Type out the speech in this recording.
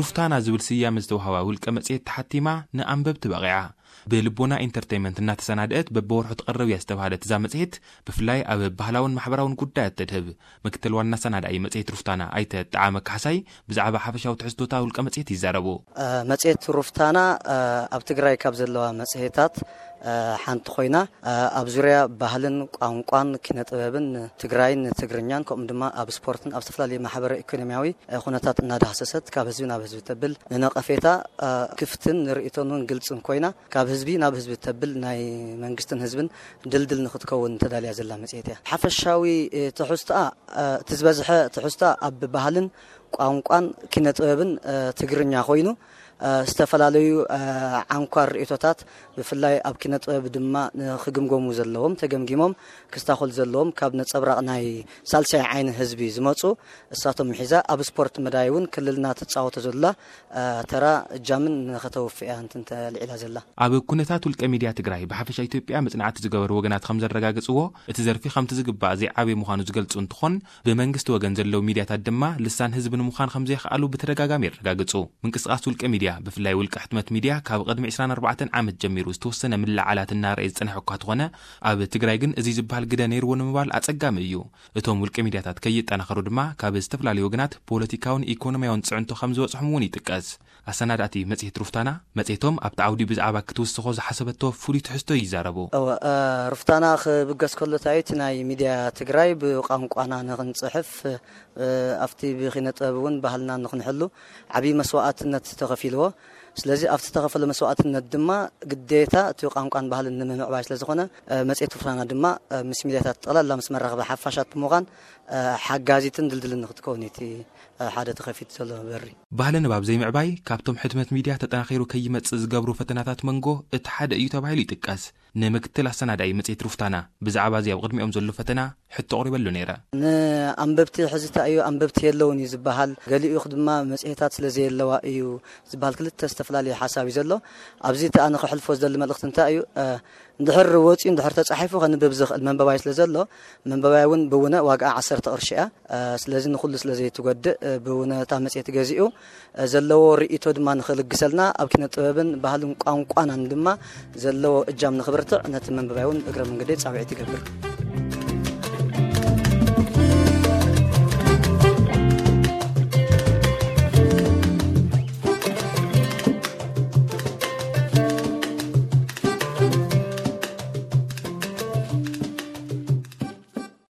ሩፍታና ዝብል ስያመ ዝተዋህባ ውልቀ መጽሔት ተሓቲማ ንኣንበብቲ በቒዓ። ብልቦና ኢንተርቴይመንት እናተሰናደአት በብወርሑ ትቐርብ እያ ዝተባህለት እዛ መጽሔት፣ ብፍላይ ኣብ ባህላውን ማሕበራውን ጉዳያት ተድህብ። ምክትል ዋና ሰናዳኢ መጽሔት ሩፍታና ኣይተ ጠዓመ ካሕሳይ ብዛዕባ ሓፈሻዊ ትሕዝቶታ ውልቀ መጽሔት ይዛረቡ። መጽሔት ሩፍታና ኣብ ትግራይ ካብ ዘለዋ መጽሔታት ሓንቲ ኮይና፣ ኣብ ዙርያ ባህልን ቋንቋን ኪነ ጥበብን ትግራይን ትግርኛን ከምኡ ድማ ኣብ ስፖርትን ኣብ ዝተፈላለዩ ማሕበረ ኢኮኖሚያዊ ኩነታት እናዳህሰሰት ካብ ህዝቢ ናብ ህዝቢ ተብል ንነቐፌታ ክፍትን ንርእይቶን እውን ግልጽን ኮይና ካብ ህዝቢ ናብ ህዝቢ ተብል ናይ መንግስትን ህዝብን ድልድል ንክትከውን ተዳልያ ዘላ መጽሔት እያ። ሓፈሻዊ ትሕዝቶኣ እቲ ዝበዝሐ ትሕዝቶኣ ኣብ ባህልን ቋንቋን ኪነ ጥበብን ትግርኛ ኮይኑ፣ ዝተፈላለዩ ዓንኳር ርእይቶታት ብፍላይ ኣብ ኪነ ጥበብ ድማ ንክግምገሙ ዘለዎም ተገምጊሞም ክስታኾል ዘለዎም ካብ ነጸብራቕ ናይ ሳልሳይ ዓይኒ ህዝቢ ዝመጹ እሳቶም ምሒዛ ኣብ ስፖርት መዳይ እውን ክልልና ትጻወቶ ዘላ ተራ እጃምን ንኸተወፍእ እያ እንትን ተልዒላ ዘላ። ኣብ ኩነታት ውልቀ ሚድያ ትግራይ ብሓፈሻ ኢትዮጵያ መጽናዕቲ ዝገበሩ ወገናት ከም ዘረጋግጽዎ፣ እቲ ዘርፊ ከምቲ ዝግባእ ዘይዓበየ ምዃኑ ዝገልጹ እንትኾን፣ ብመንግስቲ ወገን ዘለዉ ሚድያታት ድማ ልሳን ህዝቢ ንምዃን ከም ዘይኸኣሉ ብተደጋጋሚ የረጋግጹ። ምንቅስቃስ ውልቀ ሚድያ፣ ብፍላይ ውልቀ ሕትመት ሚድያ፣ ካብ ቅድሚ ዕስራን ኣርባዕተን ዓመት ጀሚሩ ዝተወሰነ ምልዕዓላት እናረኣየ ዝጸንሐ እኳ ተኾነ፣ ኣብ ትግራይ ግን እዚ ዝበሃል ግደ ነይርዎ ንምባል ኣጸጋሚ እዩ። እቶም ውልቀ ሚድያታት ከይጠናኸሩ ድማ ካብ ዝተፈላለዩ ወገናት ፖለቲካውን ኢኮኖሚያውን ጽዕንቶ ከም ዝበጽሖም እውን ይጥቀስ። ኣሰናዳእቲ መጽሔት ሩፍታና፣ መጽሔቶም ኣብቲ ዓውዲ ብዛዕባ ክትውስኾ ዝሓሰበቶ ፍሉይ ትሕዝቶ ይዛረቡ። እወ፣ እ፣ ሩፍታና ክብገስ ከሎ፣ እቲ ናይ ሚድያ ትግራይ ብቋንቋና ንኽንጽሕፍ፣ እ፣ ኣብቲ ብኪነ ጥበብ እውን ባህልና ንኽንሕሉ ዓብዪ መስዋእትነት ተኸፊልዎ። ስለዚ ኣብቲ ዝተኸፈለ መስዋእትነት ድማ ግዴታ እቲ ቋንቋን ባህልን ንምምዕባይ ስለ ዝኾነ፣ እ፣ መጽሔት ሩፍታና ድማ፣ እ፣ ምስ ሚድያታት ጠቕላላ ምስ መራኸቢ ሓፋሻት ብምዃን፣ እ፣ ሓጋዚትን ድልድልን ንኽትከውን እቲ፣ እ፣ ሓደ ተኸፊቱ ዘሎ በሪ። ባህሊ ንባብ ዘይምዕባይ ካብቶም ሕትመት ሚድያ ተጠናኺሩ ከይመጽእ ዝገብሩ ፈተናታት መንጎ እቲ ሓደ እዩ ተባሂሉ ይጥቀስ። ንምክትል ኣሰናዳኢ መጽሔት ሩፍታና ብዛዕባ እዚ ኣብ ቅድሚኦም ዘሎ ፈተና ሕቶ ኣቕሪበሉ ነይረ። ንኣንበብቲ ሕዚ እንታይ እዩ፣ ኣንበብቲ የለውን እዩ ዝበሃል፣ ገሊኡ ድማ መጽሔታት ስለ ዘየለዋ እዩ ዝበሃል፣ ክልተ ዝተፈላለየ ሓሳብ እዩ ዘሎ። ኣብዚ እቲ ኣነ ከሕልፎ ዝደሊ መልእኽቲ እንታይ እዩ፣ እ፣ እንድሕር ወፂኡ እንድሕር ተፃሒፉ ከንብብ ዝኽእል መንበባይ ስለ ዘሎ፣ መንበባይ እውን ብውነ ዋጋኣ ዓሰርተ ቅርሺ እያ። እ፣ ስለዚ ንኹሉ ስለ ዘይትጎድእ፣ እ፣ ብውነ እታ መጽሔት ገዚኡ፣ እ፣ ዘለዎ ርእይቶ ድማ ንኽልግሰልና፣ ኣብ ኪነ ጥበብን ባህልን ቋንቋናን ድማ ዘለዎ እጃም ንኽብርትዕ ነቲ መንበባይ እውን እግረ መንገደይ ጻውዒት ይገብር።